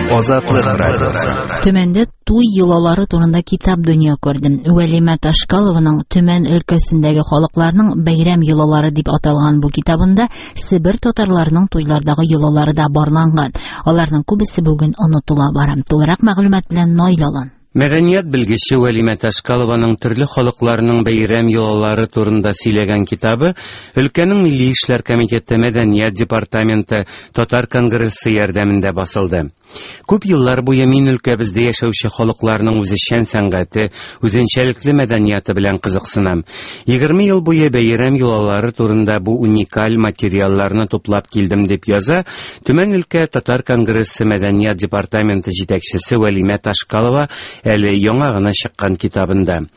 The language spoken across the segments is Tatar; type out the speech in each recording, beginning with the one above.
Азатлык радиосы. Төмәндә туй йолалары турында китап дөнья күрде. Вәлимә Ташкалованың Төмән өлкәсендәге халыкларның бәйрәм йолалары дип аталган бу китабында Себер татарларының туйлардагы йолалары да барланган. Аларның күбесе бүген онытыла бара. Тулырак мәгълүмат белән Наил Алан. Мәдәният белгече Вәлимә Ташкалованың төрле халыкларның бәйрәм йолалары турында сөйләгән китабы өлкәнең Милли эшләр комитеты Мәдәният департаменты Татар конгрессы ярдәмендә басылды. Күп еллар буе мин өлкәбездә яшәүче халыкларның үзешчән сәнгате, үзенчәлекле мәдәнияты белән кызыксынам. 20 ел буе бәйрәм йолалары турында бу уникаль материалларны туплап килдем, дип яза Төмән өлкә Татар конгрессы мәдәният департаменты җитәкчесе Вәлимә Ташкалова әле яңа гына чыккан китабында.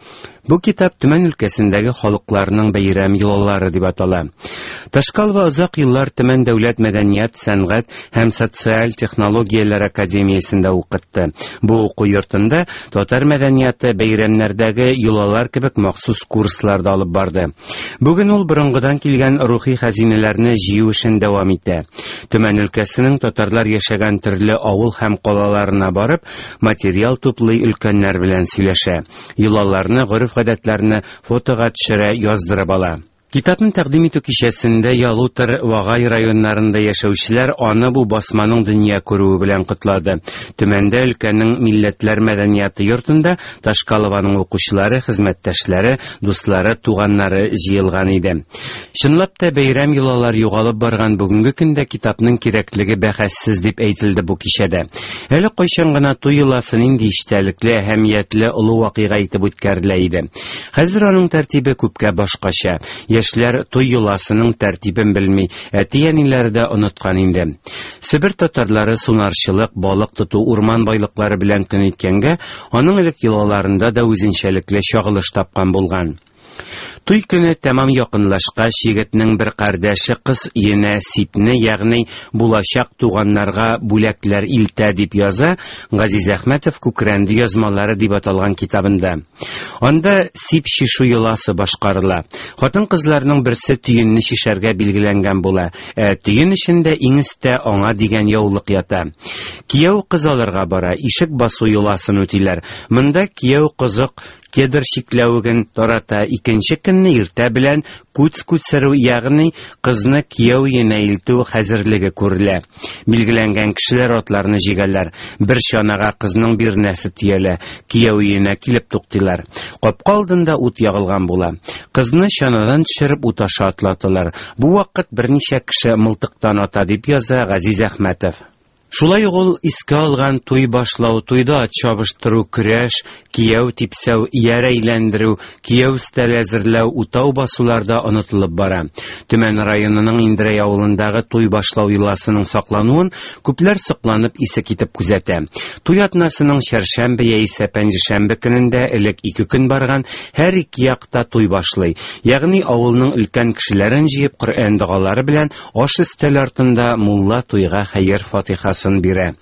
Бу китап Төмән өлкәсендәге халыкларның бәйрәм йолалары дип атала. Ташкалова озак еллар Төмән дәүләт мәдәният, сәнгать һәм социаль технологияләр академиясендә укытты. Бу уку йортында татар мәдәнияты, бәйрәмнәрдәге йолалар кебек махсус курслар да алып барды. Бүген ул борынгыдан килгән рухи хәзинәләрне җыю эшен дәвам итә. Төмән өлкәсенең татарлар яшәгән төрле авыл һәм калаларына барып, материал туплый, өлкәннәр белән сөйләшә. Йолаларны, гореф-гадәтләрне фотога төшерә, яздырып ала. Китапны тәкъдим итү кичәсендә Ялутор, Вагай районнарында яшәүчеләр аны бу басманың дөнья күрүе белән котлады. Төмәндә өлкәнең Милләтләр мәдәнияты йортында Ташкалованың укучылары, хезмәттәшләре, дуслары, туганнары җыелган иде. Чынлап та бәйрәм йолалар югалып барган бүгенге көндә китапның кирәклеге бәхәссез дип әйтелде бу кичәдә. Әле кайчан гына туй йоласы нинди истәлекле, әһәмиятле олы вакыйга итеп үткәрелә иде. Хәзер аның тәртибе күпкә башкача. Яшьләр туй йоласының тәртибен белми, әти-әниләре дә оныткан инде. Себер татарлары сунарчылык, балык тоту, урман байлыклары белән көн иткәнгә, аның элек йолаларында да үзенчәлекле чагылыш тапкан булган. Туй көне тәмам якынлашкач, егетнең бер кардәше кыз өенә сипне, ягъни булачак туганнарга бүләкләр илтә, дип яза Газиз Әхмәтов Күкрәнде язмалары дип аталган китабында. Анда сип шишу йоласы башкарыла. Хатын-кызларның берсе төенне шишәргә билгеләнгән була, ә төен эчендә иң өстә аңа дигән яулык ята. Кияү кыз алырга бара, ишек басу йоласын үтиләр. Монда кияү кызык кедр чикләвеген тарата, икенче көнне иртә белән күц күтсерү, ягъни кызны кияү өенә илтү хәзерлеге күрелә. Билгеләнгән кешеләр атларны җигәләр. Бер чанага кызның бирнәсе төялә, кияү өенә килеп туктыйлар. Капка алдында ут ягылган була. Кызны чанадан төшереп ут аша атлаталар. Бу вакыт берничә кеше мылтыктан ата, дип яза Газиз Әхмәтов. Шулай ук ул искә алган туй башлау, туйда ат чабыштыру, көрәш, кияү типсәү, ияр әйләндерү, кияү өстәле әзерләү, утау басулар да онытылып бара. Төмән районының Индрәй авылындагы туй башлау йоласының саклануын күпләр сокланып исе китеп күзәтә. Туй атнасының чәршәмбе яисә пәнҗешәмбе көнендә элек ике көн барган һәр ике якта туй башлый. Ягъни авылның өлкән кешеләрен җыеп Коръән догалары белән Аш өстәл артында мулла туйга хәер-фатихасын бирә.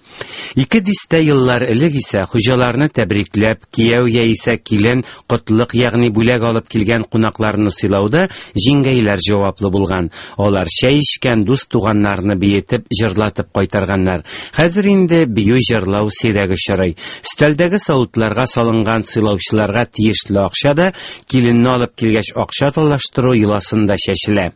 Ике дистә еллар элек исә хуҗаларны тәбрикләп, кияү яисә килен котлык, ягъни бүләк алып килгән кунакларны сыйлауда җиңгәйләр җаваплы булган. Алар чәй эчкән дус-туганнарны биетеп, җырлатып кайтарганнар. Хәзер инде бию-җырлау сирәк очрый. Өстәлдәге савытларга салынган сыйлаучыларга тиешле акча да, киленне алып килгәч акча талаштыру йоласында чәчелә.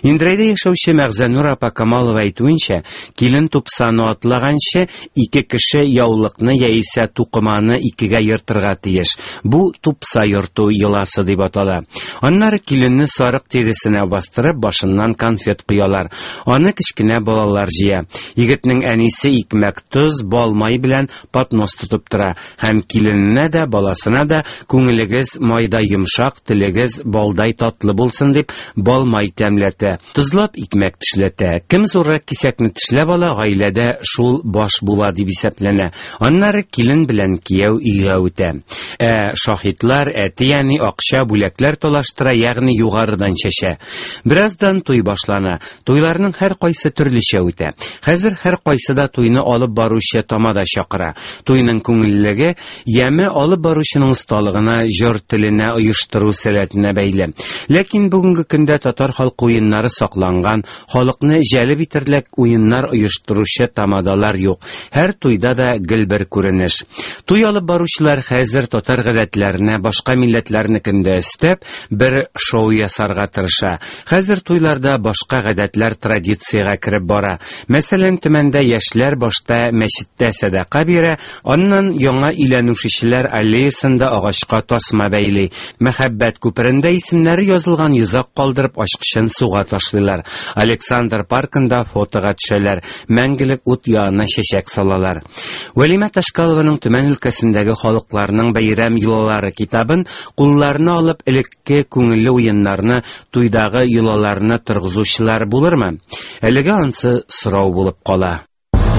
Индрәйдә яшәүче Мәгъзәнур апа Камалова әйтүенчә, килен тупсаны атлаганчы, ике кеше яулыкны яисә тукыманы икегә ертырга тиеш. Бу тупса йорту йоласы дип атала. Аннары киленне сарык тиресенә бастырып, башыннан конфет коялар. Аны кечкенә балалар җыя. Егетнең әнисе икмәк, тоз, бал, май белән поднос тотып тора һәм килененә дә, баласына да күңелегез майдай йомшак, телегез балдай татлы булсын дип бал-май тәмләтә, тозлап икмәк тешләтә. Кем зуррак кисәкне тешләп ала, гаиләдә шул баш була дип исәпләнә. Аннары килен белән кияү өйгә үтә. Ә шаһитлар, әти-әни акча, бүләкләр талаштыра, ягъни югарыдан чәчә. Бераздан туй башлана. Туйларның һәркайсы төрлечә үтә. Хәзер һәркайсы да туйны алып баручы тамада чакыра. Туйның күңеллелеге, яме алып баручының осталыгына, җор теленә, оештыру сәләтенә бәйле. Ләкин бүгенге көндә татар халкы уеннары сакланган, халыкны җәлеп итерлек уеннар оештыручы тамада тамадалар юк. Һәр туйда да гел бер күренеш. Туй алып баручылар хәзер татар гадәтләренә башка милләтләрнекен дә өстәп, бер шоу ясарга тырыша. Хәзер туйларда башка гадәтләр традициягә кереп бара. Мәсәлән, Төмәндә яшьләр башта мәчеттә сәдака бирә, аннан яңа өйләнүшечеләр аллеясында агачка тасма бәйли. Мәхәббәт күперендә исемнәре язылган йозак калдырып, ачкычын суга ташлыйлар. Александр паркында фотога төшәләр, мәңгелек ут янына чәчәк салалар. Вәлимә Ташкалованың Төмән өлкәсендәге халыкларның бәйрәм йолалары китабын кулларына алып, элекке күңелле уеннарны, туйдагы йолаларны торгызучылар булырмы? Әлегә ансы сорау булып кала.